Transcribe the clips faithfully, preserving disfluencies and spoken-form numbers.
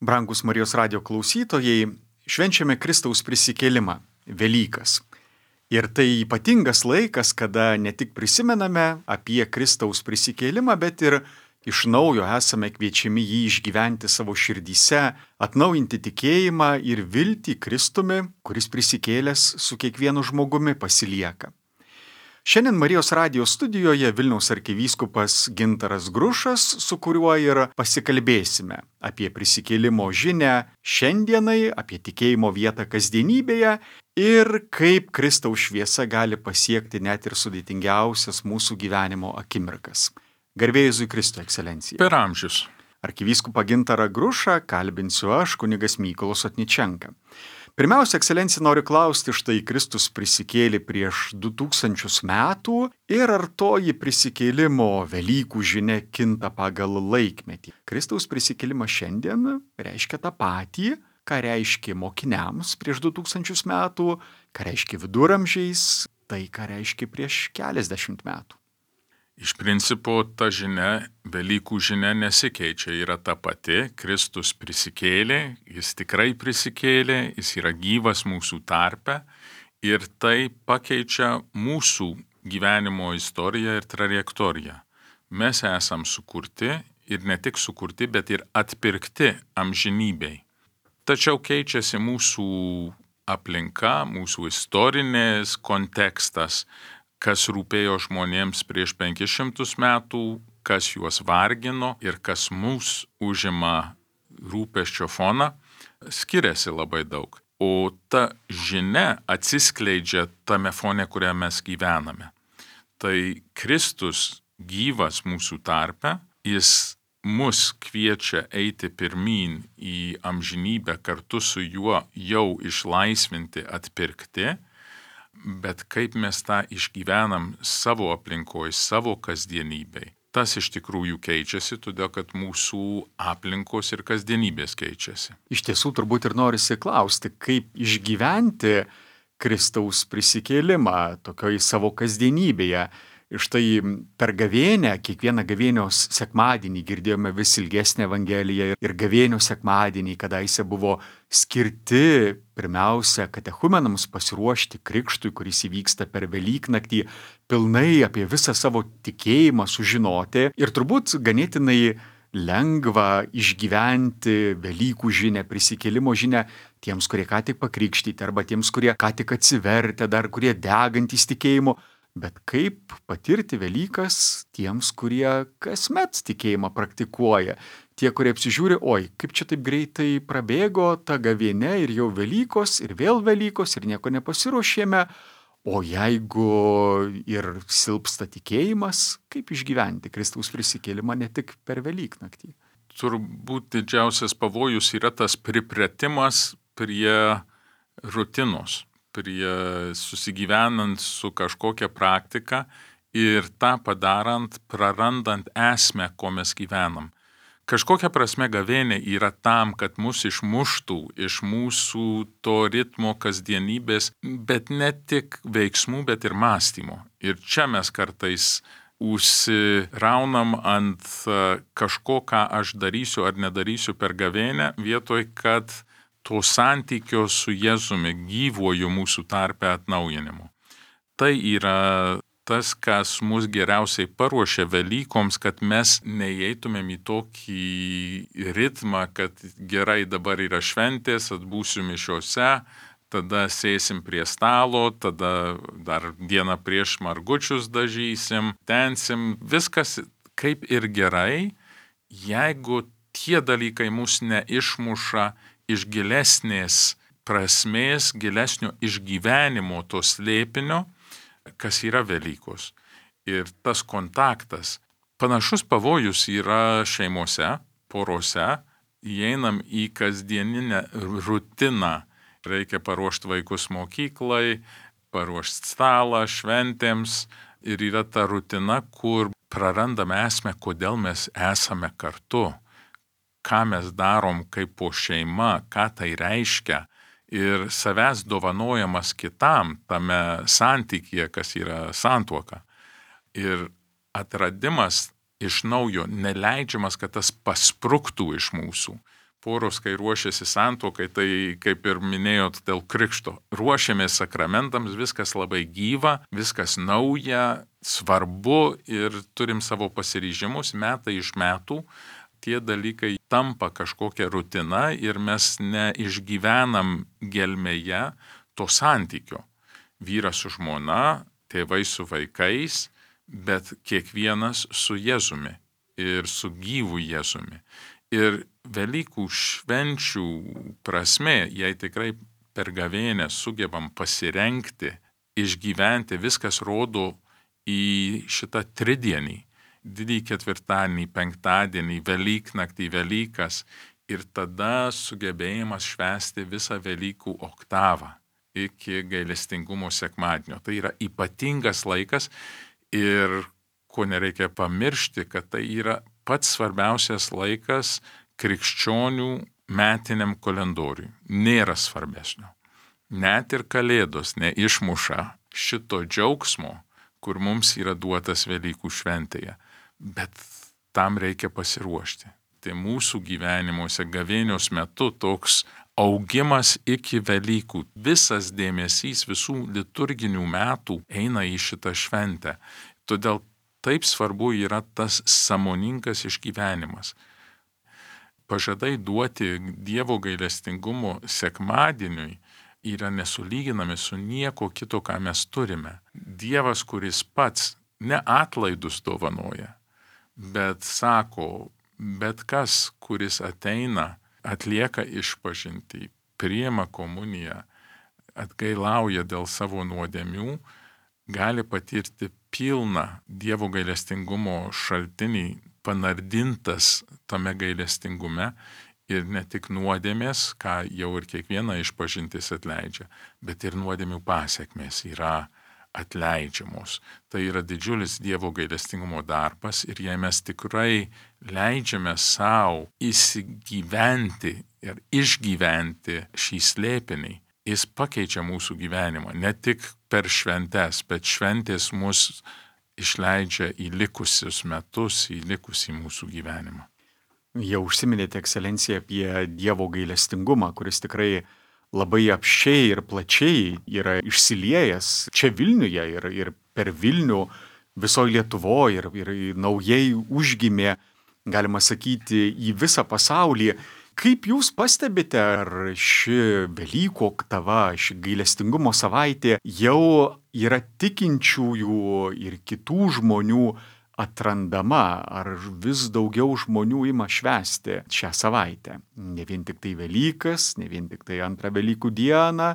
Brangus Marijos radijo klausytojai, švenčiame Kristaus prisikėlimą, Velykas. Ir tai ypatingas laikas, kada ne tik prisimename apie Kristaus prisikėlimą, bet ir iš naujo esame kviečiami jį išgyventi savo širdyse, atnaujinti tikėjimą ir viltį Kristumi, kuris prisikėlęs su kiekvienu žmogumi pasilieka. Šiandien Marijos radijo studijoje Vilniaus arkivyskupas Gintaras Grušas, su kuriuo ir pasikalbėsime apie prisikėlimo žinią šiandienai, apie tikėjimo vietą kasdienybėje ir kaip Kristaus šviesa gali pasiekti net ir sudėtingiausias mūsų gyvenimo akimirkas. Garbė Jėzui Kristui, ekscelencija. Per amžius. Arkivyskupą Gintarą Grušą kalbinsiu aš, kunigas Mykolas Otničenka. Pirmiausia, ekscelencija, noriu klausti, štai Kristus prisikėlė prieš du tūkstančius metų ir ar toji prisikėlimo Velykų žinia kinta pagal laikmetį. Kristaus prisikėlimas šiandien reiškia tą patį, ką reiškia mokiniams prieš du tūkstančius metų, ką reiškia viduramžiais, tai ką reiškia prieš keliasdešimt metų. Iš principo ta žinia, Velykų žinia nesikeičia, yra ta pati. Kristus prisikėlė, jis tikrai prisikėlė, jis yra gyvas mūsų tarpe ir tai pakeičia mūsų gyvenimo istoriją ir trajektoriją. Mes esam sukurti ir ne tik sukurti, bet ir atpirkti amžinybei. Tačiau keičiasi mūsų aplinka, mūsų istorinės kontekstas, kas rūpėjo žmonėms prieš penkis šimtus metų, kas juos vargino ir kas mūs užima rūpesčio foną, skiriasi labai daug. O ta žinia atsiskleidžia tame fone, kuriame mes gyvename. Tai Kristus gyvas mūsų tarpe, jis mus kviečia eiti pirmyn į amžinybę kartu su juo jau išlaisvinti, atpirkti. Bet kaip mes tą išgyvenam savo aplinkoje, savo kasdienybėje, tas iš tikrųjų keičiasi, todėl kad mūsų aplinkos ir kasdienybės keičiasi. Iš tiesų turbūt ir norisi klausti, kaip išgyventi Kristaus prisikėlimą tokioj savo kasdienybėje. Štai per gavėnią, kiekvieną gavėnios sekmadienį girdėjome vis ilgesnę evangeliją ir gavėnios sekmadienį, kadaise buvo skirti pirmiausia katechumenams pasiruošti krikštui, kuris įvyksta per Velyknaktį, pilnai apie visą savo tikėjimą sužinoti ir turbūt ganėtinai lengva išgyventi Velykų žinią, prisikėlimo žinią tiems, kurie ką tik pakrikštyti arba tiems, kurie ką tik atsivertę, dar kurie degantys tikėjimu. Bet kaip patirti Velykas tiems, kurie kasmet tikėjimą praktikuoja? Tie, kurie apsižiūri, oi, kaip čia taip greitai prabėgo ta gavėnia ir jau Velykos, ir vėl Velykos, ir nieko nepasiruošėme. O jeigu ir silpsta tikėjimas, kaip išgyventi Kristaus prisikėlimą ne tik per Velyknaktį? Turbūt didžiausias pavojus yra tas pripratimas prie rutinos, prie susigyvenant su kažkokia praktika ir tą padarant, prarandant esmę, ko mes gyvenam. Kažkokia prasme gavėnė yra tam, kad mus išmuštų iš mūsų to ritmo kasdienybės, bet ne tik veiksmų, bet ir mąstymo. Ir čia mes kartais užsiraunam ant kažko, ką aš darysiu ar nedarysiu per gavėnę, vietoj kad to santykio su Jėzumi gyvuoju mūsų tarpe atnaujinimu. Tai yra tas, kas mus geriausiai paruošia Velykoms, kad mes neįeitumėm į tokį ritmą, kad gerai dabar yra šventės, atbūsiu mišiose, tada sėsim prie stalo, tada dar dieną prieš margučius dažysim, tensim, viskas kaip ir gerai, jeigu tie dalykai mus neišmuša iš gilesnės prasmės, gilesnio išgyvenimo to slėpinio, kas yra Velykos. Ir tas kontaktas, panašus pavojus yra šeimose, porose, įeinam į kasdieninę rutiną. Reikia paruošti vaikus mokyklai, paruošti stalą šventėms ir yra ta rutina, kur prarandame esmę, kodėl mes esame kartu. Ką mes darom kaip po šeima, ką tai reiškia ir savęs dovanojamas kitam tame santykyje, kas yra santuoka. Ir atradimas iš naujo neleidžiamas, kad tas paspruktų iš mūsų. poros, kai ruošiasi santuokai, tai kaip ir minėjot dėl krikšto, ruošiamės sakramentams, viskas labai gyva, viskas nauja, svarbu ir turim savo pasiryžimus metai iš metų. Tie dalykai tampa kažkokia rutina ir mes neišgyvenam gelmėje to santykio. Vyras su žmona, tėvai su vaikais, bet kiekvienas su Jėzumi ir su gyvu Jėzumi. Ir Velykų švenčių prasme, jei tikrai per gavėnią sugebam pasirengti, išgyventi, viskas rodo į šitą tridienį, didįjį ketvirtadienį, penktadienį, Velyknaktį, Velykas ir tada sugebėjimas švęsti visą Velykų oktavą iki gailestingumo sekmadienio. Tai yra ypatingas laikas ir ko nereikia pamiršti, kad tai yra pats svarbiausias laikas krikščionių metiniam kalendoriui. Nėra svarbesnio. Net ir Kalėdos neišmuša šito džiaugsmo, kur mums yra duotas Velykų šventėje. Bet tam reikia pasiruošti. Tai mūsų gyvenimuose gavėnios metu toks augimas iki Velykų. Visas dėmesys visų liturginių metų eina į šitą šventę. Todėl taip svarbu yra tas sąmoningas išgyvenimas. Pažadai duoti Dievo gailestingumo sekmadieniui yra nesulyginami su nieko kito, ką mes turime. Dievas, kuris pats ne atlaidus dovanoja, bet sako, bet kas, kuris ateina, atlieka išpažintį, priima komuniją, atgailauja dėl savo nuodėmių, gali patirti pilną Dievo gailestingumo šaltinį, panardintas tame gailestingume ir ne tik nuodėmės, ką jau ir kiekviena išpažintis atleidžia, bet ir nuodėmių pasiekmės yra atleidžiamos. Tai yra didžiulis Dievo gailestingumo darbas ir jei mes tikrai leidžiame savo įsigyventi ir išgyventi šį slėpinį, jis pakeičia mūsų gyvenimą. Ne tik per šventes, bet šventės mus išleidžia į likusius metus, į likusį mūsų gyvenimą. Jau užsiminėte, ekscelencija, apie Dievo gailestingumą, kuris tikrai labai apsčiai ir plačiai yra išsiliejęs čia Vilniuje ir, ir per Vilnių visoje Lietuvoje ir, ir naujai užgimė, galima sakyti, į visą pasaulį. Kaip jūs pastebite, ar ši Velykų oktava, ši gailestingumo savaitė jau yra tikinčiųjų ir kitų žmonių atrandama, ar vis daugiau žmonių ima švęsti šią savaitę? Ne vien tik tai Velykas, ne vien tik tai antrą Velykų dieną,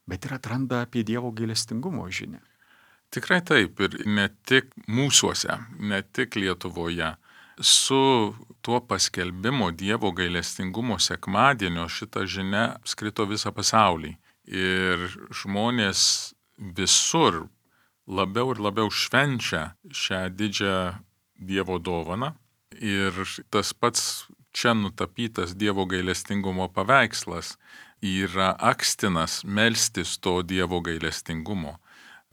bet ir atranda apie Dievo gailestingumo žinią. Tikrai taip, ir ne tik mūsuose, ne tik Lietuvoje. Su tuo paskelbimo Dievo gailestingumo sekmadienio šita žinia apskrito visą pasaulį. Ir žmonės visur labiau ir labiau švenčia šią didžią Dievo dovaną. Ir tas pats čia nutapytas Dievo gailestingumo paveikslas yra akstinas melstis to Dievo gailestingumo.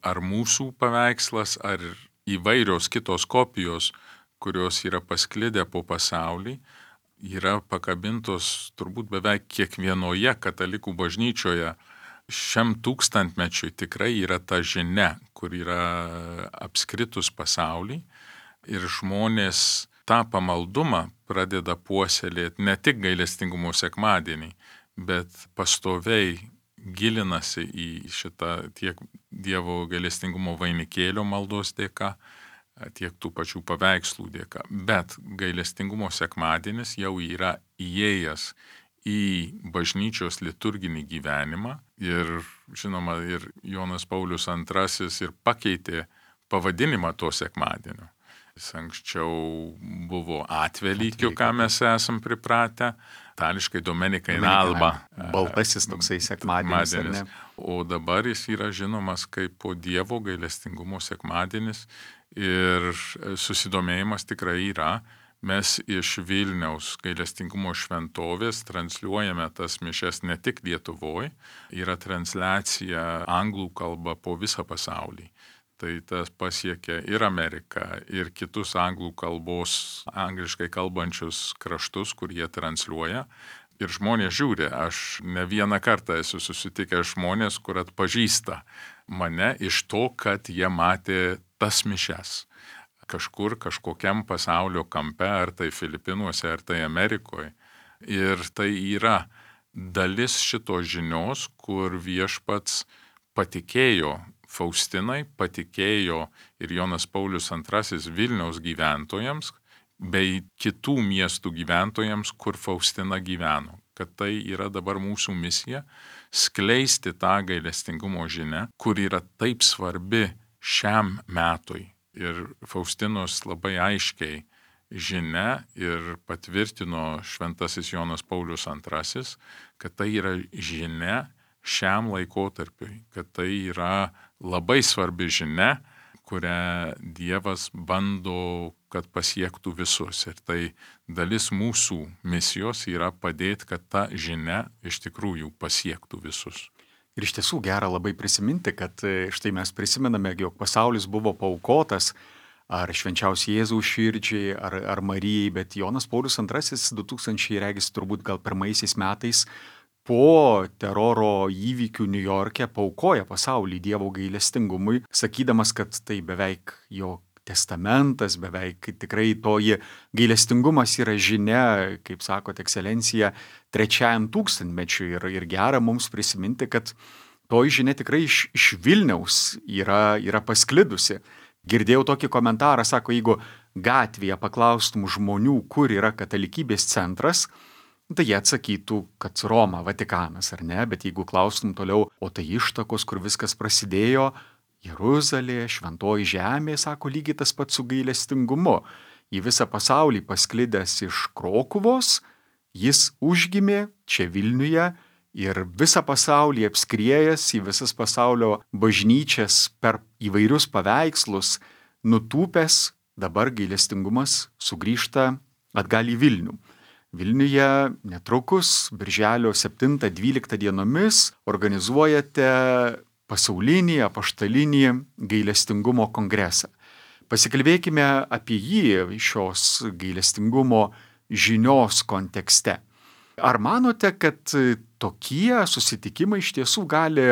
Ar mūsų paveikslas, ar įvairios kitos kopijos, kurios yra pasklidę po pasaulį, yra pakabintos turbūt beveik kiekvienoje katalikų bažnyčioje. Šiam tūkstantmečiui tikrai yra ta žinia, kur yra apskritus pasaulį ir žmonės tą pamaldumą pradeda puoselėti ne tik gailestingumo sekmadienį, bet pastoviai gilinasi į šitą tiek Dievo gailestingumo vainikėlio maldos dėka, tiek tų pačių paveikslų dėka. Bet gailestingumo sekmadienis jau yra įėjęs į bažnyčios liturginį gyvenimą ir, žinoma, ir Jonas Paulius antrasis ir pakeitė pavadinimą to sekmadienio. Jis anksčiau buvo Atvelykiu, ką mes esam pripratę, itališkai Domenica in Alba. Baltasis toksai sekmadienis, ar ne? O dabar jis yra žinomas kaip po Dievo gailestingumo sekmadienis ir susidomėjimas tikrai yra. Mes iš Vilniaus gailestingumo šventovės transliuojame tas mišias ne tik Lietuvoje, yra transliacija anglų kalba po visą pasaulį. Tai tas pasiekia ir Ameriką, ir kitus anglų kalbos, angliškai kalbančius kraštus, kur jie transliuoja. Ir žmonės žiūri, aš ne vieną kartą esu susitikęs žmonės, kur atpažįsta mane iš to, kad jie matė tas mišias. Kažkur, kažkokiam pasaulio kampe, ar tai Filipinuose, ar tai Amerikoje. Ir tai yra dalis šitos žinios, kur viešpats patikėjo Faustinai, patikėjo ir Jonas Paulius antrasis Vilniaus gyventojams, bei kitų miestų gyventojams, kur Faustina gyveno. Kad tai yra dabar mūsų misija - skleisti tą gailestingumo žinią, kur yra taip svarbi šiam metui. Ir Faustinos labai aiškiai žinia ir patvirtino šventasis Jonas Paulius antrasis, kad tai yra žinia šiam laikotarpiui, kad tai yra labai svarbi žinia, kurią Dievas bando, kad pasiektų visus. Ir tai dalis mūsų misijos yra padėti, kad ta žinia iš tikrųjų pasiektų visus. Ir iš tiesų gera labai prisiminti, kad štai mes prisimename, jog pasaulis buvo paaukotas ar švenčiausiai Jėzaus širdžiai, ar, ar Marijai, bet Jonas Paulius antrasis du tūkstančiai regis turbūt gal pirmaisiais metais po teroro įvykių Niujorke paaukoja pasaulį Dievo gailestingumui, sakydamas, kad tai beveik jo testamentas, beveik tikrai toji gailestingumas yra žinia, kaip sakot, ekscelencija, trečiajam tūkstantmečiui. Ir, ir gera mums prisiminti, kad toji žinia tikrai iš, iš Vilniaus yra, yra pasklidusi. Girdėjau tokį komentarą, sako, jeigu gatvėje paklaustum žmonių, kur yra katalikybės centras, tai jie atsakytų, kad Roma, Vatikanas, ar ne, bet jeigu klaustum toliau, o tai ištakos, kur viskas prasidėjo, Jeruzalė, šventoji žemė, sako, lygiai tas pats su gailestingumu. Į visą pasaulį pasklidęs iš Krokuvos, jis užgimė čia Vilniuje ir visą pasaulį apskriejęs į visas pasaulio bažnyčias per įvairius paveikslus, nutūpęs, dabar gailestingumas sugrįžta atgal į Vilnių. Vilniuje netrukus, birželio septintą dvyliktą dienomis, organizuojate pasaulinį apaštalinį gailestingumo kongresą. Pasikalbėkime apie jį šios gailestingumo žinios kontekste. Ar manote, kad tokie susitikimai iš tiesų gali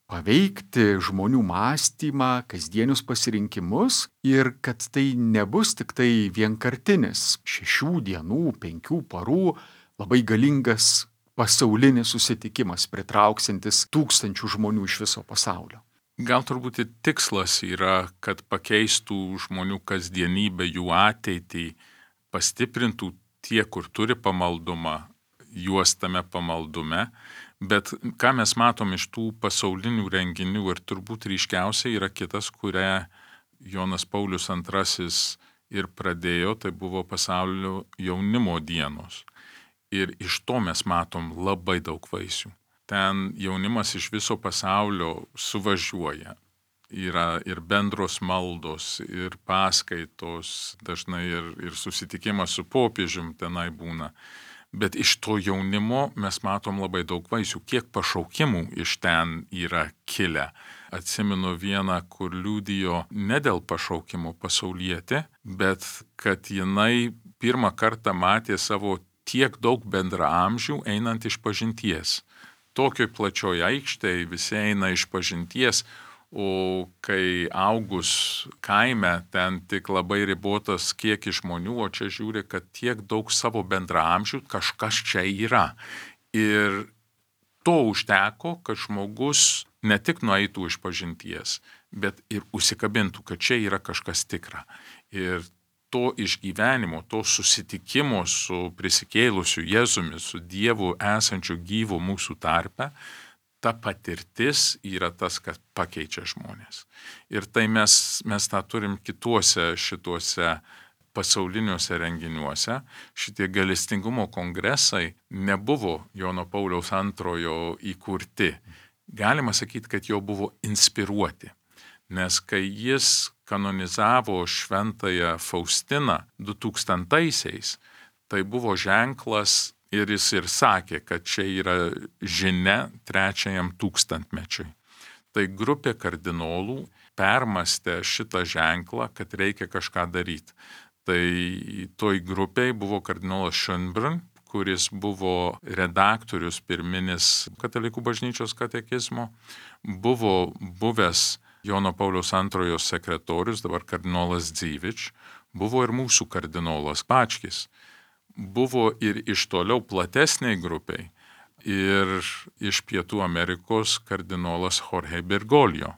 paveikti žmonių mąstymą, kasdienius pasirinkimus ir kad tai nebus tik tai vienkartinis šešių dienų, penkių parų labai galingas pasaulinis susitikimas, pritrauksintis tūkstančių žmonių iš viso pasaulio? Gal turbūt tikslas yra, kad pakeistų žmonių kasdienybę, jų ateitį, pastiprintų tie, kur turi pamaldumą, juos tame pamaldume. Bet ką mes matom iš tų pasaulinių renginių ir turbūt ryškiausiai yra kitas, kurią Jonas Paulius antrasis ir pradėjo, tai buvo pasaulio jaunimo dienos. Ir iš to mes matom labai daug vaisių. Ten jaunimas iš viso pasaulio suvažiuoja. Yra ir bendros maldos, ir paskaitos, dažnai ir, ir susitikimas su popiežium tenai būna. Bet iš to jaunimo mes matom labai daug vaisių. Kiek pašaukimų iš ten yra kilę. Atsimenu vieną, kur liudijo ne dėl pašaukimo pasaulietė, bet kad jinai pirmą kartą matė savo tiek daug bendraamžių einant iš pažinties. Tokioj plačioj aikštėje visi eina iš pažinties, o kai augus kaime, ten tik labai ribotas kiekis žmonių, o čia žiūri, kad tiek daug savo bendraamžių kažkas čia yra. Ir to užteko, kad žmogus ne tik nueitų iš pažinties, bet ir užsikabintų, kad čia yra kažkas tikra. Ir to išgyvenimo, to susitikimo su prisikėlusiu Jėzumi, su Dievu esančiu gyvu mūsų tarpe, ta patirtis yra tas, kas pakeičia žmonės. Ir tai mes, mes tą turim kituose šituose pasauliniuose renginiuose. Šitie gailestingumo kongresai nebuvo Jono Pauliaus antrojo įkurti. Galima sakyti, kad jo buvo inspiruoti. Nes kai jis kanonizavo šventąją Faustiną du tūkstantaisiais, tai buvo ženklas. Ir jis ir sakė, kad čia yra žinia trečiajam tūkstantmečiui. Tai grupė kardinolų permastė šitą ženklą, kad reikia kažką daryti. Tai toj grupiai buvo kardinolas Schönbrunn, kuris buvo redaktorius pirminis Katalikų bažnyčios katekizmo, buvo buvęs Jono Pauliaus antrojo sekretorius, dabar kardinolas Dzivič, buvo ir mūsų kardinolas Bačkis, buvo ir iš toliau platesniai grupiai, ir iš Pietų Amerikos kardinolas Jorge Bergoglio,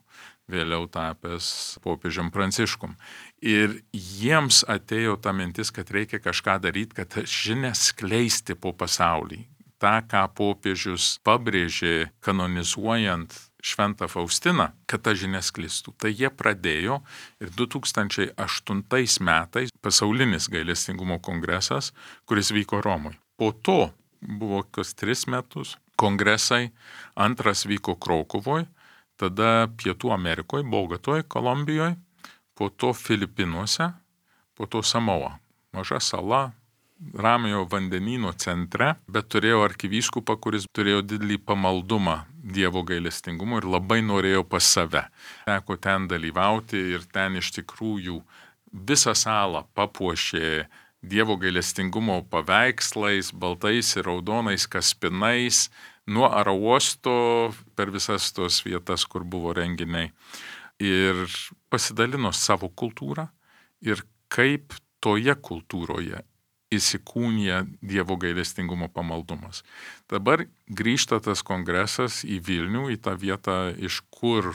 vėliau tapęs popiežium Pranciškum. Ir jiems atėjo ta mintis, kad reikia kažką daryti, kad žinią skleisti po pasaulį. Ta, ką popiežius pabrėžė kanonizuojant Šventą Faustiną, kad ta žinia sklistų. Tai jie pradėjo ir du tūkstančiai aštuntais metais pasaulinis gailestingumo kongresas, kuris vyko Romoje. Po to buvo kas tris metus kongresai, antras vyko Krokuvoje, tada Pietų Amerikoje, Bogotoje, Kolumbijoje, po to Filipinuose, po to Samoa. Maža sala, Ramiojo vandenyno centre, bet turėjo arkivyskupą, kuris turėjo didelį pamaldumą Dievo gailestingumo ir labai norėjo pas save. Teko ten dalyvauti ir ten iš tikrųjų visą salą papuošė Dievo gailestingumo paveikslais, baltais ir raudonais kaspinais, nuo aerouosto per visas tos vietas, kur buvo renginiai. Ir pasidalino savo kultūrą ir kaip toje kultūroje įsikūnija Dievo gailestingumo pamaldumas. Dabar grįžta tas kongresas į Vilnių, į tą vietą, iš kur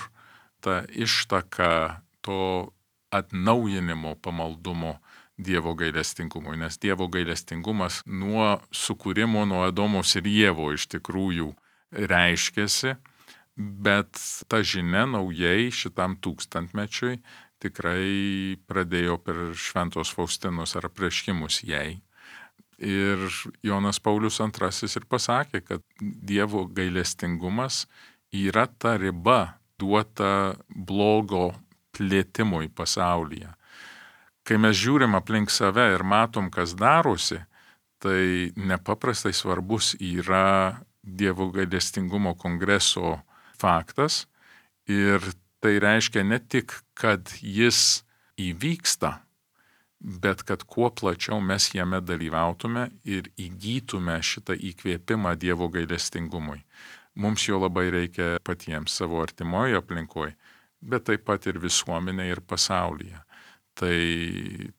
ta ištaka to atnaujinimo pamaldumo Dievo gailestingumui, nes Dievo gailestingumas nuo sukūrimo, nuo Adomos ir Ievo iš tikrųjų reiškėsi, bet ta žinia naujai šitam tūkstantmečiui tikrai pradėjo per Šventos Faustinos ar apreiškimus jai. Ir Jonas Paulius antrasis ir pasakė, kad Dievo gailestingumas yra ta riba duota blogo plėtimui pasaulyje. Kai mes žiūrim aplink save ir matom, kas darosi, tai nepaprastai svarbus yra Dievo gailestingumo kongreso faktas ir tai reiškia ne tik, kad jis įvyksta, bet kad kuo plačiau mes jame dalyvautume ir įgytume šitą įkvėpimą Dievo gailestingumui. Mums jo labai reikia patiems savo artimoje aplinkoje, bet taip pat ir visuomenėje ir pasaulyje. Tai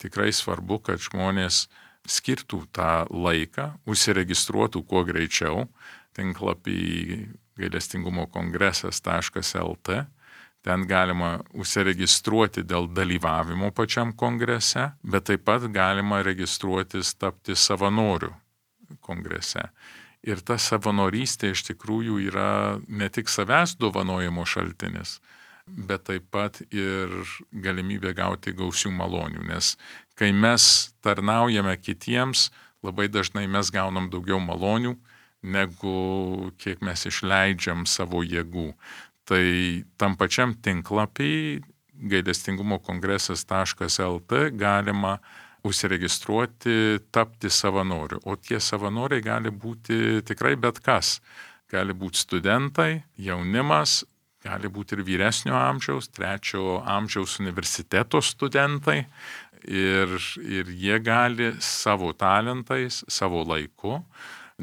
tikrai svarbu, kad žmonės skirtų tą laiką, užsiregistruotų kuo greičiau, tinklapį gailestingumo kongresas taškas el tė. Ten galima užsiregistruoti dėl dalyvavimo pačiam kongrese, bet taip pat galima registruotis tapti savanoriu kongrese. Ir ta savanorystė iš tikrųjų yra ne tik savęs dovanojimo šaltinis, bet taip pat ir galimybė gauti gausių malonių. Nes kai mes tarnaujame kitiems, labai dažnai mes gaunam daugiau malonių, negu kiek mes išleidžiam savo jėgų. Tai tam pačiam tinklapį gailestingumo kongresas taškas el tė galima užsiregistruoti, tapti savanoriu. O tie savanoriai gali būti tikrai bet kas. Gali būti studentai, jaunimas, gali būti ir vyresnio amžiaus, trečio amžiaus universiteto studentai. Ir, ir jie gali savo talentais, savo laiku,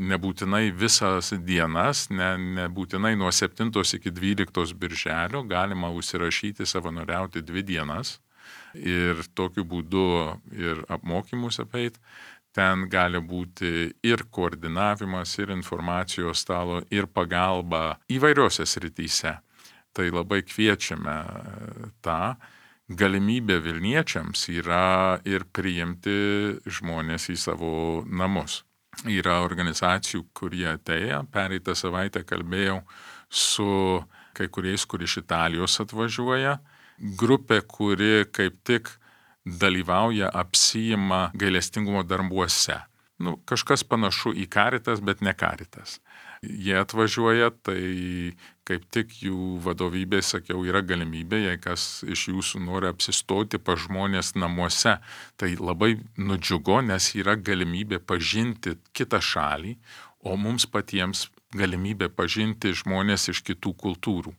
nebūtinai visas dienas, ne, nebūtinai nuo septintos iki dvyliktos birželio, galima užsirašyti savanoriauti dvi dienas ir tokiu būdu ir apmokymus apeit. Ten gali būti ir koordinavimas, ir informacijos stalo, ir pagalba įvairiose srityse. Tai labai kviečiame tą. Galimybė Vilniečiams yra ir priimti žmonės į savo namus. Yra organizacijų, kurie atėjo. Pereitą savaitę kalbėjau su kai kuriais, kur iš Italijos atvažiuoja. Grupė, kuri kaip tik dalyvauja, apsiima gailestingumo darbuose. Nu, kažkas panašu į Caritas, bet ne Caritas. Jie atvažiuoja, tai kaip tik jų vadovybė, sakiau, yra galimybė, jei kas iš jūsų nori apsistoti pa žmonės namuose, tai labai nudžiugo, nes yra galimybė pažinti kitą šalį, o mums patiems galimybė pažinti žmonės iš kitų kultūrų.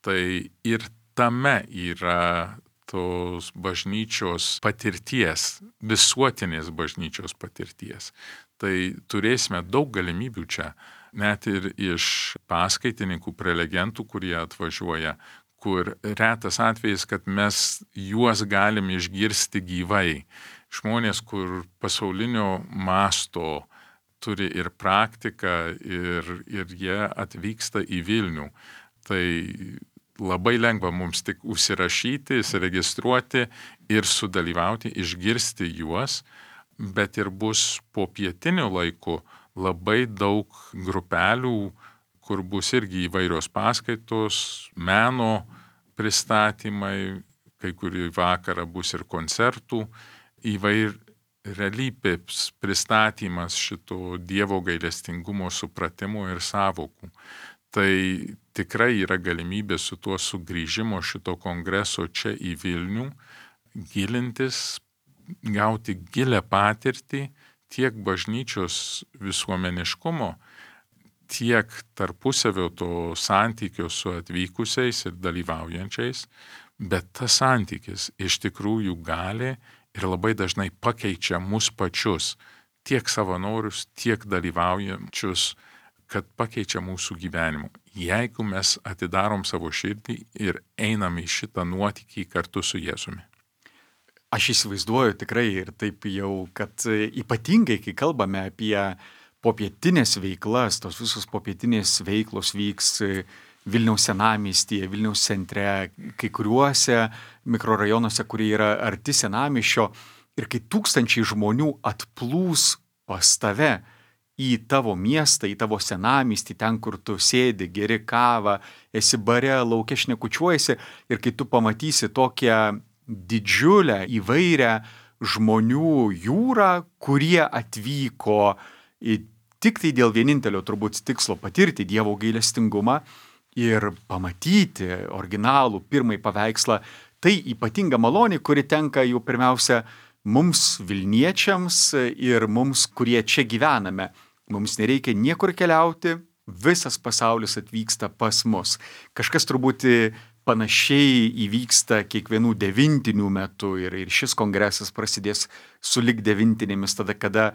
Tai ir tame yra tos bažnyčios patirties, visuotinės bažnyčios patirties. Tai turėsime daug galimybių čia, net ir iš paskaitininkų, prelegentų, kurie atvažiuoja, kur retas atvejis, kad mes juos galim išgirsti gyvai. Žmonės, kur pasaulinio masto turi ir praktiką, ir, ir jie atvyksta į Vilnių. Tai labai lengva mums tik užsirašyti, įsiregistruoti ir sudalyvauti, išgirsti juos, bet ir bus po pietiniu laiku labai daug grupelių, kur bus irgi įvairios paskaitos, meno pristatymai, kai kurį vakarą bus ir koncertų, įvairialypės pristatymas šito Dievo gailestingumo supratimo ir savokų. Tai tikrai yra galimybė su tuo sugrįžimo šito kongreso čia į Vilnių, gilintis, gauti gilę patirtį tiek bažnyčios visuomeniškumo, tiek tarpusavio to santykio su atvykusiais ir dalyvaujančiais, bet tas santykis iš tikrųjų gali ir labai dažnai pakeičia mus pačius, tiek savanorius, tiek dalyvaujančius, kad pakeičia mūsų gyvenimą. Jeigu mes atidarom savo širdį ir einam į šitą nuotykį kartu su Jėzumi. Aš įsivaizduoju tikrai ir taip jau, kad ypatingai, kai kalbame apie popietinės veiklas, tos visos popietinės veiklos vyks Vilniaus senamiestyje, Vilniaus centre, kai kuriuose mikrorajonuose, kurie yra arti senamiesčio, ir kai tūkstančiai žmonių atplūs pas tave į tavo miestą, į tavo senamiestį, ten, kur tu sėdi, geri kavą, esi bare, lauke šnekučiuojasi, ir kai tu pamatysi tokią didžiulę, įvairią žmonių jūrą, kurie atvyko į, tik tai dėl vienintelio turbūt tikslo patirti Dievo gailestingumą ir pamatyti originalų pirmąjį paveikslą, tai ypatinga malonė, kuri tenka jau pirmiausia mums Vilniečiams ir mums, kurie čia gyvename. Mums nereikia niekur keliauti, visas pasaulis atvyksta pas mus. Kažkas turbūt panašiai įvyksta kiekvienų devintinių metu ir, ir šis kongresas prasidės sulig devintinėmis, tada, kada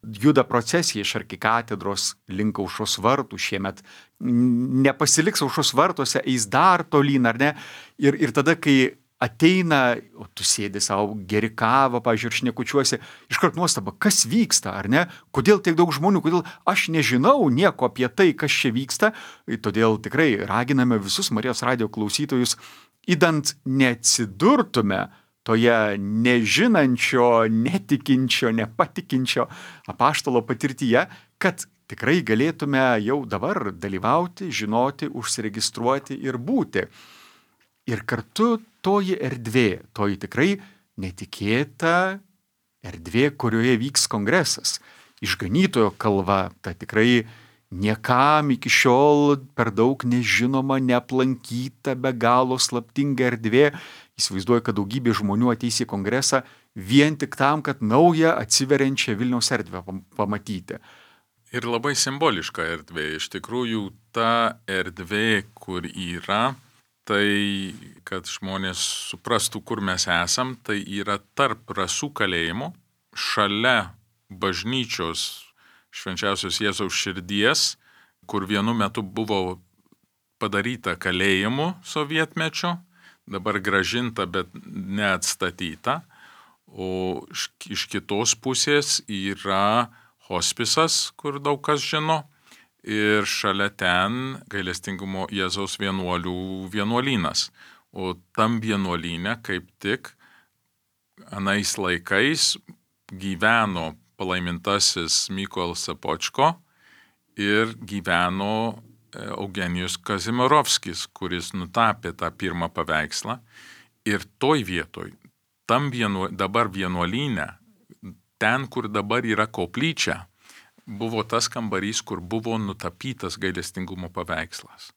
juda procesija iš arkikatedros link Aušros vartų, šiemet nepasiliks Aušros vartuose, eis dar tolyn, ar ne? Ir, ir tada, kai ateina, o tu sėdi savo, geri kavą, pavyzdžiui, ir šnekučiuosi, iškart nuostaba, kas vyksta, ar ne? Kodėl tiek daug žmonių, kodėl aš nežinau nieko apie tai, kas čia vyksta. Todėl tikrai raginame visus Marijos radijo klausytojus, idant neatsidurtume toje nežinančio, netikinčio, nepatikinčio apaštalo patirtyje, kad tikrai galėtume jau dabar dalyvauti, žinoti, užsiregistruoti ir būti. Ir kartu toji erdvė, toji tikrai netikėta erdvė, kurioje vyks kongresas. Išganytojo kalva, ta tikrai niekam iki šiol per daug nežinoma, neaplankyta, be galo slaptinga erdvė. Įsivaizduoju, kad daugybė žmonių ateis į kongresą vien tik tam, kad naują atsiveriančią Vilniaus erdvę pamatyti. Ir labai simboliška erdvė. Iš tikrųjų, ta erdvė, kur yra, tai, kad žmonės suprastų, kur mes esam, tai yra tarp Rasų kalėjimo, šalia bažnyčios Švenčiausios Jėzaus širdies, kur vienu metu buvo padaryta kalėjimu sovietmečio, dabar grąžinta, bet neatstatyta, o iš kitos pusės yra hospisas, kur daug kas žino, ir šalia ten gailestingumo Jėzaus vienuolių vienuolynas. O tam vienuolyne kaip tik anais laikais gyveno palaimintasis Mykolas Sopočko ir gyveno Eugenijus Kazimirovskis, kuris nutapė tą pirmą paveikslą. Ir toj vietoj, tam vienu, dabar vienuolyne, ten, kur dabar yra koplyčia, buvo tas kambarys, kur buvo nutapytas gailestingumo paveikslas.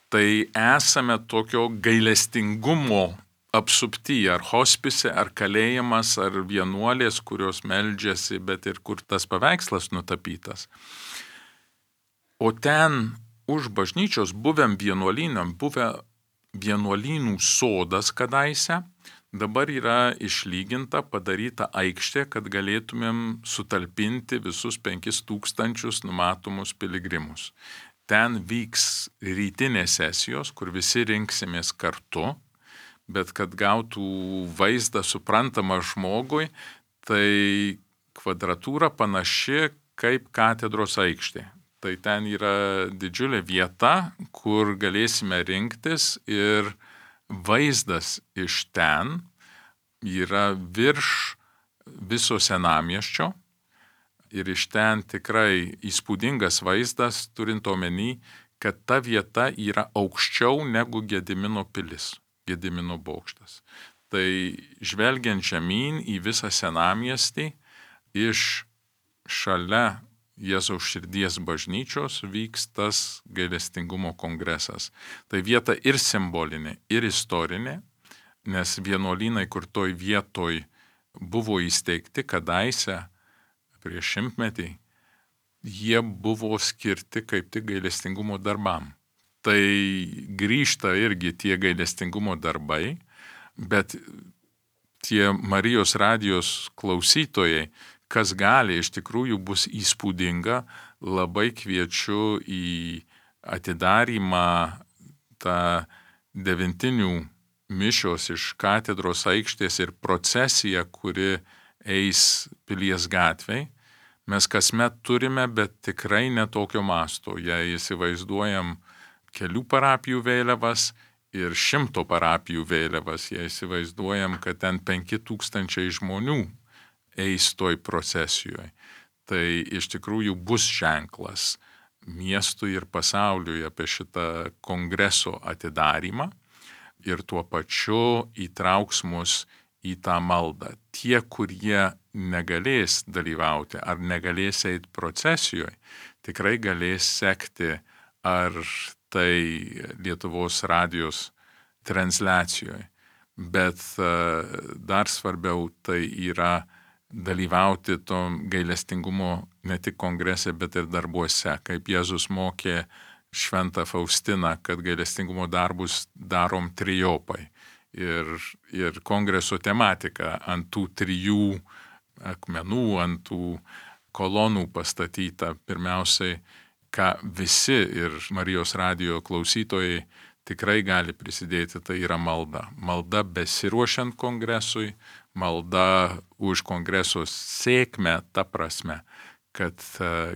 Tai esame tokio gailestingumo apsupti, ar hospise, ar kalėjimas, ar vienuolės, kurios meldžiasi, bet ir kur tas paveikslas nutapytas. O ten už bažnyčios buvėm vienuolynam, buvę vienuolynų sodas kadaise, Dabar yra išlyginta, padaryta aikštė, kad galėtumėm sutalpinti visus penkis tūkstančius numatomus piligrimus. Ten vyks rytinės sesijos, kur visi rinksimės kartu, bet kad gautų vaizdą suprantamą žmogui, tai kvadratūra panaši kaip katedros aikštė. Tai ten yra didžiulė vieta, kur galėsime rinktis ir vaizdas iš ten yra virš viso senamiesčio ir iš ten tikrai įspūdingas vaizdas, turint omeny, kad ta vieta yra aukščiau negu Gedimino pilis, Gedimino bokštas. Tai žvelgiant žemyn į visą senamiestį, iš šalia Jėzaus širdies bažnyčios vyks tas gailestingumo kongresas. Tai vieta ir simbolinė, ir istorinė, nes vienuolynai, kur toj vietoj buvo įsteigti kadaise prieš šimtmetį, jie buvo skirti kaip tik gailestingumo darbam. Tai grįžta irgi tie gailestingumo darbai, bet tie Marijos radijos klausytojai, kas gali, iš tikrųjų bus įspūdinga, labai kviečiu į atidarymą tą devintinių mišios iš katedros aikštės ir procesiją, kuri eis Pilies gatvėj. Mes kasmet turime, bet tikrai netokio masto. Jei įsivaizduojam kelių parapijų vėliavas ir šimto parapijų vėliavas, jei įsivaizduojam, kad ten penki tūkstančiai žmonių eis toj procesijoje. Tai iš tikrųjų bus ženklas miestui ir pasauliui apie šitą kongreso atidarymą ir tuo pačiu įtrauks mus į tą maldą. Tie, kurie negalės dalyvauti ar negalės eiti procesijoje, tikrai galės sekti ar tai Lietuvos radijos transliacijoje. Bet dar svarbiau tai yra dalyvauti to gailestingumo ne tik kongrese, bet ir darbuose, kaip Jėzus mokė Šventą Faustiną, kad gailestingumo darbus darom trijopai. Ir, ir kongreso tematika ant tų trijų akmenų, ant tų kolonų pastatyta. Pirmiausiai, ką visi ir Marijos radijo klausytojai tikrai gali prisidėti, tai yra malda. Malda besiruošiant kongresui, malda už kongreso sėkmę, ta prasme, kad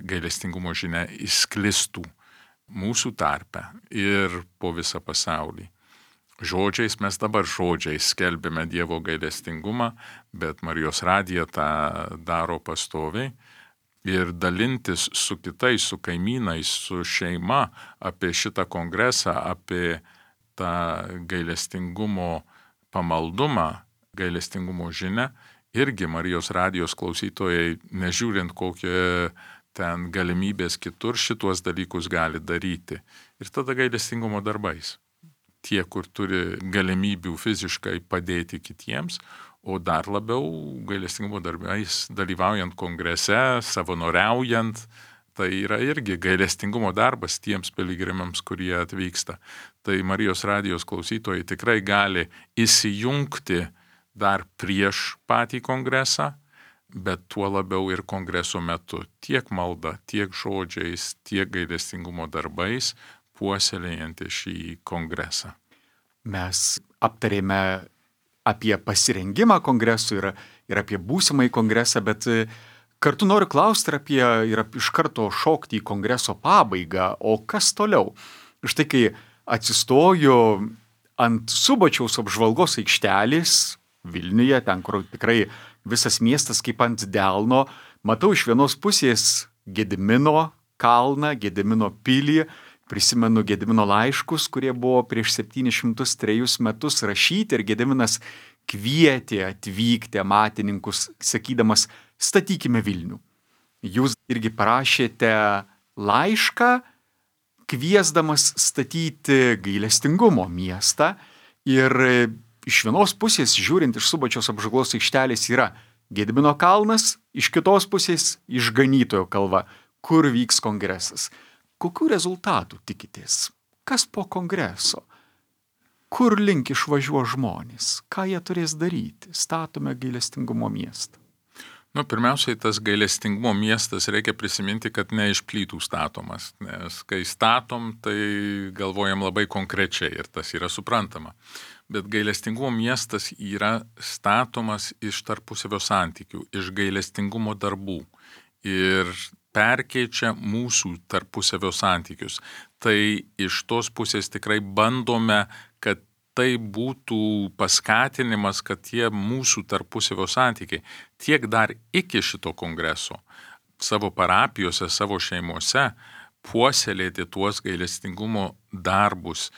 gailestingumo žinia išsklistų mūsų tarpe ir po visą pasaulį. Žodžiais, mes dabar žodžiais skelbėme Dievo gailestingumą, bet Marijos radija tą daro pastoviai. Ir dalintis su kitais, su kaimynais, su šeima apie šitą kongresą, apie tą gailestingumo pamaldumą, gailestingumo žinią, irgi Marijos radijos klausytojai, nežiūrint kokie ten galimybės kitur, šitos dalykus gali daryti. Ir tada gailestingumo darbais. Tie, kur turi galimybių fiziškai padėti kitiems, o dar labiau gailestingumo darbais dalyvaujant kongrese, savanoriaujant, tai yra irgi gailestingumo darbas tiems piligrimams, kurie atvyksta. Tai Marijos radijos klausytojai tikrai gali įsijungti dar prieš patį kongresą, bet tuo labiau ir kongreso metu, tiek malda, tiek žodžiais, tiek gailestingumo darbais, puoselėjant šį kongresą. Mes aptarėme apie pasirengimą kongresui ir, ir apie būsimąjį kongresą, bet kartu noriu klausti ir apie ir iš karto šokti į kongreso pabaigą, o kas toliau? Štai kai atsistoju ant Subačiaus apžvalgos aikštelės Vilniuje, ten, kur tikrai visas miestas kaip ant delno, matau iš vienos pusės Gedimino kalną, Gedimino pilį, prisimenu Gedimino laiškus, kurie buvo prieš septynis šimtus trejus metus rašyti ir Gediminas kvietė atvykti amatininkus, sakydamas, statykime Vilnių. Jūs irgi parašėte laišką, kviesdamas statyti gailestingumo miestą ir iš vienos pusės, žiūrint iš Subačiaus apžvalgos aikštelės, yra Gedimino kalnas, iš kitos pusės Išganytojo kalva, kur vyks kongresas. Kokių rezultatų tikitės? Kas po kongreso? kur link išvažiuo žmonės, ką jie turės daryti, statome gailestingumo miestą. Nu, pirmiausiai, tas gailestingumo miestas reikia prisiminti, kad ne iš plytų statomas, nes kai statom, tai galvojam labai konkrečiai ir tas yra suprantama. Bet gailestingumo miestas yra statomas iš tarpusavio santykių, iš gailestingumo darbų ir perkeičia mūsų tarpusavio santykius. Tai iš tos pusės tikrai bandome, kad tai būtų paskatinimas, kad tie mūsų tarpusavio santykiai tiek dar iki šito kongreso savo parapijose, savo šeimose puoselėti tuos gailestingumo darbus,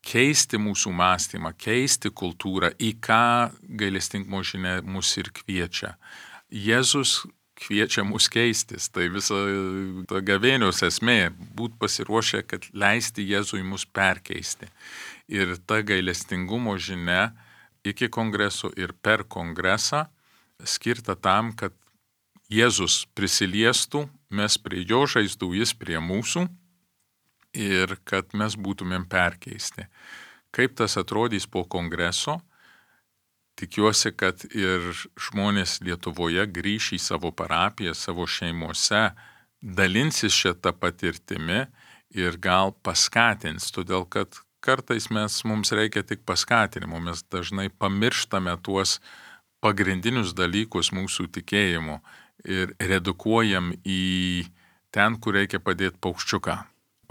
keisti mūsų mąstymą, keisti kultūrą, į ką gailestingumo žinia mus ir kviečia. Jėzus kviečia mus keistis, tai visa ta gavėnios esmė, būt pasiruošę, kad leisti Jėzui mus perkeisti. Ir ta gailestingumo žinia iki kongreso ir per kongresą skirta tam, kad Jėzus prisiliestų, mes prie jo žaizdų, jis prie mūsų ir kad mes būtumėm perkeisti. Kaip tas atrodys po kongreso? Tikiuosi, kad ir žmonės Lietuvoje grįš į savo parapiją, savo šeimose, dalinsis šitą patirtimi ir gal paskatins, todėl kad kartais mes, mums reikia tik paskatinimo, mes dažnai pamirštame tuos pagrindinius dalykus mūsų tikėjimo ir redukuojam į ten, kur reikia padėti paukščiuką.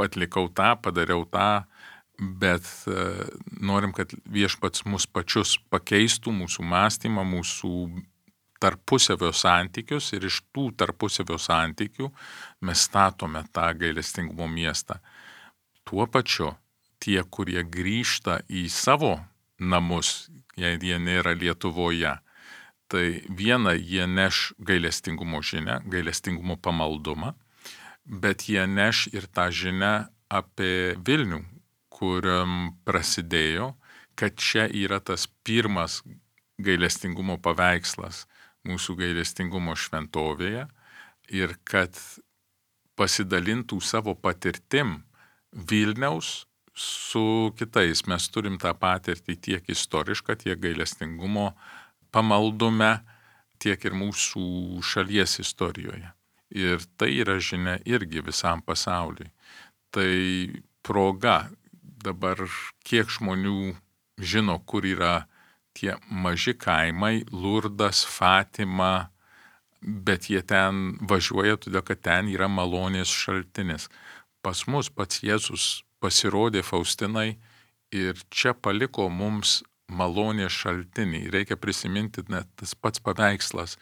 Atlikau tą, padariau tą, bet uh, norim, kad viešpats mus pačius pakeistų, mūsų mąstymą, mūsų tarpusavio santykius ir iš tų tarpusavio santykių mes statome tą gailestingumo miestą. Tuo pačiu tie, kurie grįžta į savo namus, jei jie nėra Lietuvoje, tai viena jie neš gailestingumo žinią, gailestingumo pamaldumą, bet jie neš ir tą žinią apie Vilnių, kuriam prasidėjo, kad čia yra tas pirmas gailestingumo paveikslas mūsų gailestingumo šventovėje ir kad pasidalintų savo patirtim Vilniaus su kitais. Mes turim tą patirtį tiek istorišką, tiek gailestingumo pamaldume, tiek ir mūsų šalies istorijoje. Ir tai yra žinia irgi visam pasauliui. Tai proga dabar kiek žmonių žino, kur yra tie maži kaimai, Lurdas, Fatima, bet jie ten važiuoja, todėl kad ten yra malonės šaltinis. Pas mus pats Jėzus pasirodė Faustinai ir čia paliko mums malonės šaltinį. Reikia prisiminti net tas pats paveikslas.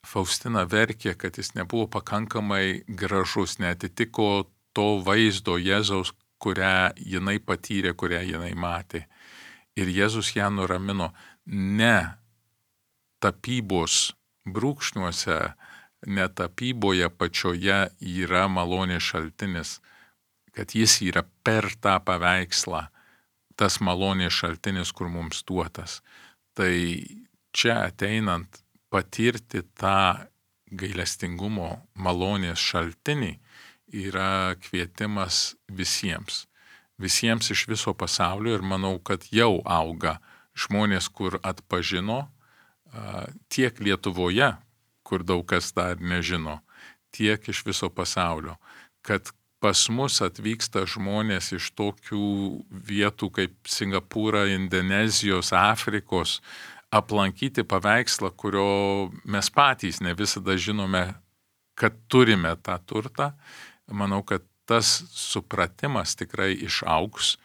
Faustina verkė, kad jis nebuvo pakankamai gražus, neatitiko to vaizdo Jėzaus, kurią jinai patyrė, kurią jinai matė. Ir Jėzus ją nuramino, ne tapybos brūkšniuose, ne tapyboje pačioje yra malonės šaltinis, kad jis yra per tą paveikslą, tas malonės šaltinis, kur mums duotas. Tai čia ateinant patirti tą gailestingumo malonės šaltinį yra kvietimas visiems. Visiems iš viso pasaulio ir manau, kad jau auga žmonės, kur atpažino, tiek Lietuvoje, kur daug kas dar nežino, tiek iš viso pasaulio, kad pas mus atvyksta žmonės iš tokių vietų kaip Singapūra, Indonezijos, Afrikos, aplankyti paveikslą, kurio mes patys ne visada žinome, kad turime tą turtą. Manau, kad tas supratimas tikrai išaugs,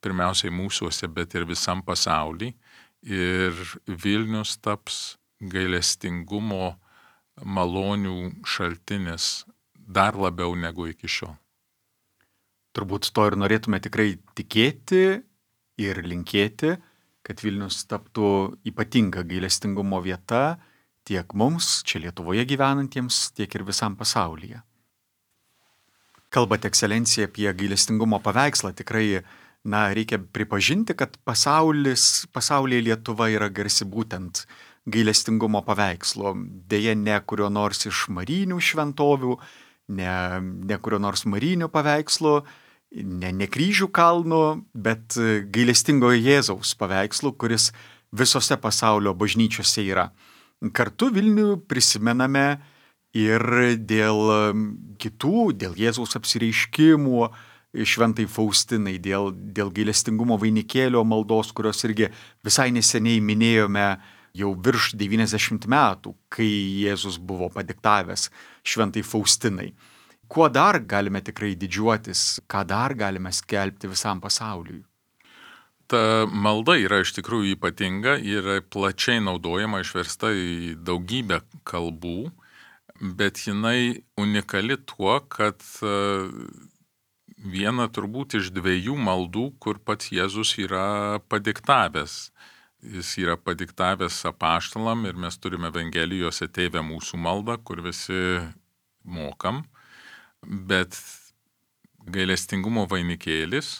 pirmiausiai mūsuose, bet ir visam pasauly. Ir Vilnius taps gailestingumo malonių šaltinis dar labiau negu iki šiol. Turbūt to ir norėtume tikrai tikėti ir linkėti, kad Vilnius taptų ypatinga gailestingumo vieta tiek mums, čia Lietuvoje gyvenantiems, tiek ir visam pasaulyje. Kalbate, ekscelencija, apie gailestingumo paveikslą. Tikrai, na, reikia pripažinti, kad pasaulis, pasaulyje Lietuva yra garsi būtent gailestingumo paveikslo. Deja, ne kurio nors iš marinių šventovių, ne, ne kurio nors marinių paveikslo ne, ne kryžių kalnu, bet gailestingojo Jėzaus paveikslu, kuris visose pasaulio bažnyčiose yra. Kartu Vilnių prisimename ir dėl kitų, dėl Jėzaus apsireiškimų šventai Faustinai, dėl, dėl gailestingumo vainikėlio maldos, kurios irgi visai neseniai minėjome jau virš devyniasdešimt metų, kai Jėzus buvo padiktavęs šventai Faustinai. Kuo dar galime tikrai didžiuotis, ką dar galime skelbti visam pasauliui? Ta malda yra iš tikrųjų ypatinga, yra plačiai naudojama, išversta į daugybę kalbų, bet jinai unikali tuo, kad viena turbūt iš dviejų maldų, kur pats Jėzus yra padiktavęs. Jis yra padiktavęs apaštalam ir mes turime Evangelijose Tėve mūsų maldą, kur visi mokam, bet gailestingumo vainikėlis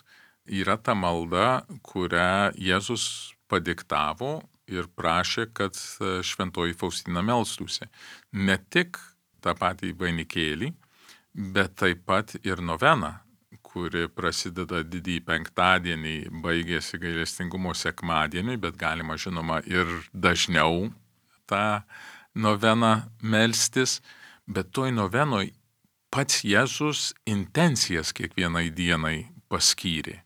yra ta malda, kurią Jėzus padiktavo ir prašė, kad šventoji Faustina melstųsi. Ne tik tą patį vainikėlį, bet taip pat ir noveną, kuri prasideda didįjį penktadienį, baigėsi gailestingumo sekmadienį, bet galima žinoma ir dažniau tą noveną melstis, bet toj novenoj pats Jėzus intencijas kiekvienai dienai paskyrė.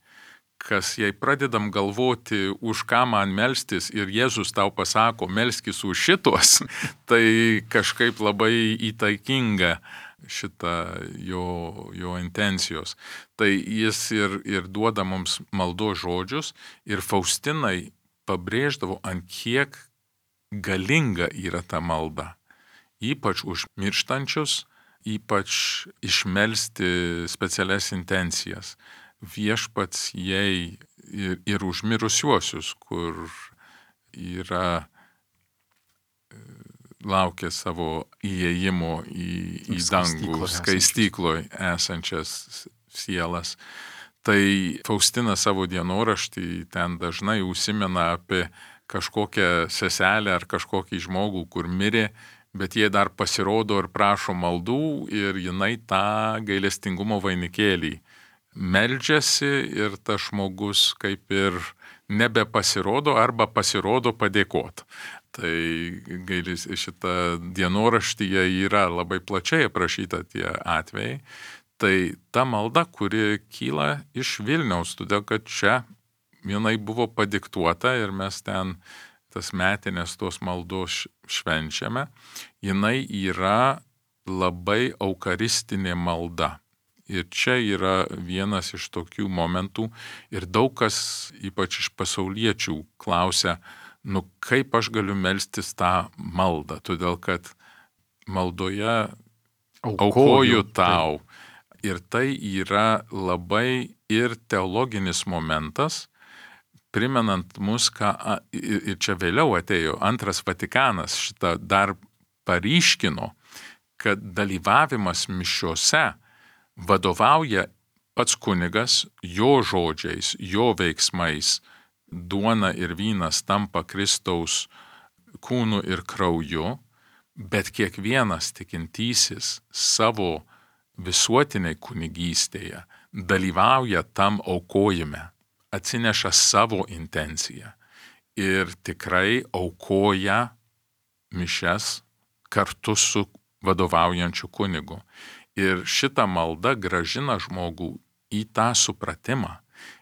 Kas jei pradedam galvoti, už ką man melstis ir Jėzus tau pasako, melskis už šitos, tai kažkaip labai įtaikinga šitą jo, jo intencijos. Tai jis ir, ir duoda mums maldos žodžius ir Faustinai pabrėždavo, ant kiek galinga yra ta malda. Ypač už mirštančius, ypač išmelsti specialias intencijas. Viešpats jai ir, ir už mirusiuosius, kur yra laukia savo įėjimo į, į dangų, skaistykloje esančias sielas. Tai Faustina savo dienoraštį ten dažnai užsimena apie kažkokią seselę ar kažkokį žmogų, kur mirė, bet jie dar pasirodo ir prašo maldų ir jinai tą gailestingumo vainikėlį meldžiasi ir tas žmogus kaip ir nebepasirodo arba pasirodo padėkot. Tai gailis, šita dienoraštyje yra labai plačiai aprašyta tie atvejai. Tai ta malda, kuri kyla iš Vilniaus, todėl kad čia jinai buvo padiktuota ir mes ten tas metinės tos maldos švenčiame, jinai yra labai eucharistinė malda. Ir čia yra vienas iš tokių momentų ir daug kas, ypač iš pasauliečių, klausia, nu kaip aš galiu melstis tą maldą, todėl kad maldoje aukoju, aukoju tau. Tai. Ir tai yra labai ir teologinis momentas, primenant mus, ką, ir čia vėliau atėjo antras Vatikanas, šitą dar paryškino, kad dalyvavimas mišiose vadovauja pats kunigas, jo žodžiais, jo veiksmais, duona ir vynas tampa Kristaus kūnu ir krauju, bet kiekvienas tikintysis savo visuotiniai kunigystėje dalyvauja tam aukojime, atsineša savo intenciją ir tikrai aukoja mišias kartu su vadovaujančiu kunigu. Ir šita malda gražina žmogų į tą supratimą.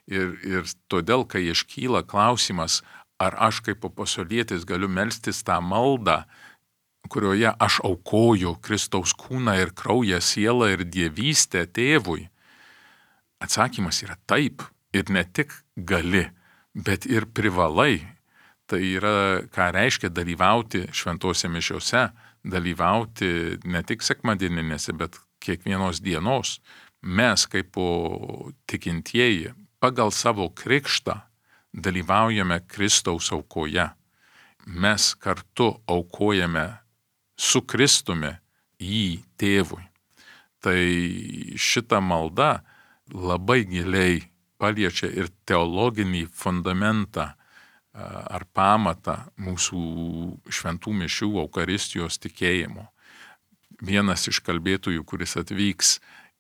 Ir, ir todėl, kai iškyla klausimas, ar aš kaip pasaulietis galiu melstis tą maldą, kurioje aš aukoju Kristaus kūną ir kraują, sielą ir dievystę tėvui, atsakymas yra taip. Ir ne tik gali, bet ir privalai. Tai yra, ką reiškia dalyvauti šventose mišiose, dalyvauti ne tik sekmadieninėse, bet kiekvienos dienos. Mes kaip tikintieji pagal savo krikštą dalyvaujame Kristaus aukoje. Mes kartu aukojame su Kristumi jį tėvui. Tai šita malda labai giliai paliečia ir teologinį fundamentą ar pamatą mūsų šventų mišių eucharistijos tikėjimo. Vienas iš kalbėtojų, kuris atvyks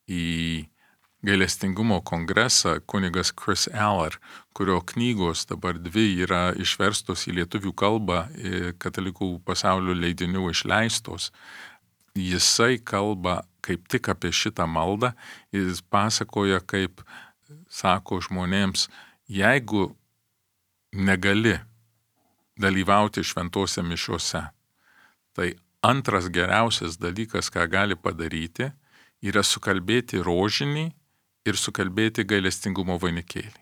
į gailestingumo kongresą kunigas Chris Eller, kurio knygos dabar dvi yra išverstos į lietuvių kalbą, katalikų pasaulio leidinių išleistos. Jisai kalba kaip tik apie šitą maldą, jis pasakoja, kaip sako žmonėms, jeigu negali dalyvauti šventose mišiuose, tai antras geriausias dalykas, ką gali padaryti, yra sukalbėti rožinį ir sukalbėti gailestingumo vainikėlį.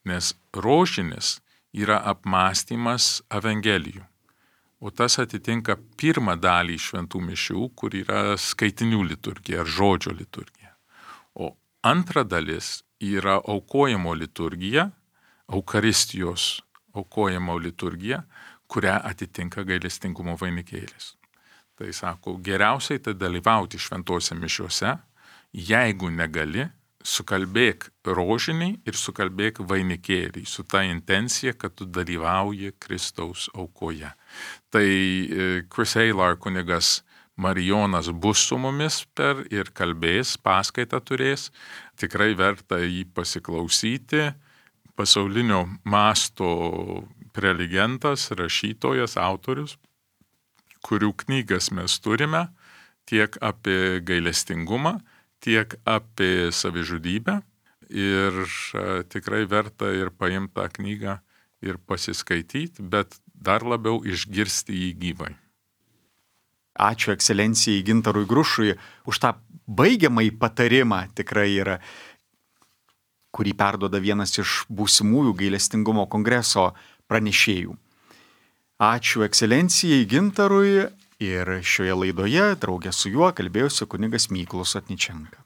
Nes rožinis yra apmąstymas evangelijų, o tas atitinka pirmą dalį šventų mišių, kur yra skaitinių liturgija ar žodžio liturgija. O antra dalis yra aukojimo liturgija, Eukaristijos aukojimo liturgija, kurią atitinka gailestingumo vainikėlis. Tai sako, geriausiai tai dalyvauti šventose mišiuose, jeigu negali, sukalbėk rožinį ir sukalbėk vainikėlį su ta intencija, kad tu dalyvauji Kristaus aukoje. Tai Chris Eller kunigas Marijonas bus su mumis per ir kalbės, paskaitą turės, tikrai verta jį pasiklausyti. Pasaulinio masto prelegentas, rašytojas, autorius, kurių knygas mes turime tiek apie gailestingumą, tiek apie savižudybę. Ir tikrai verta ir paimti tą knygą ir pasiskaityti, bet dar labiau išgirsti jį gyvai. Ačiū ekscelencijai Gintarui Grušui už tą baigiamąjį patarimą, tikrai yra, kurį perduoda vienas iš būsimųjų gailestingumo kongreso pranešėjų. Ačiū ekscelencijai Gintarui ir šioje laidoje draugė su juo kalbėjosi kunigas Mykolas Sotničenka.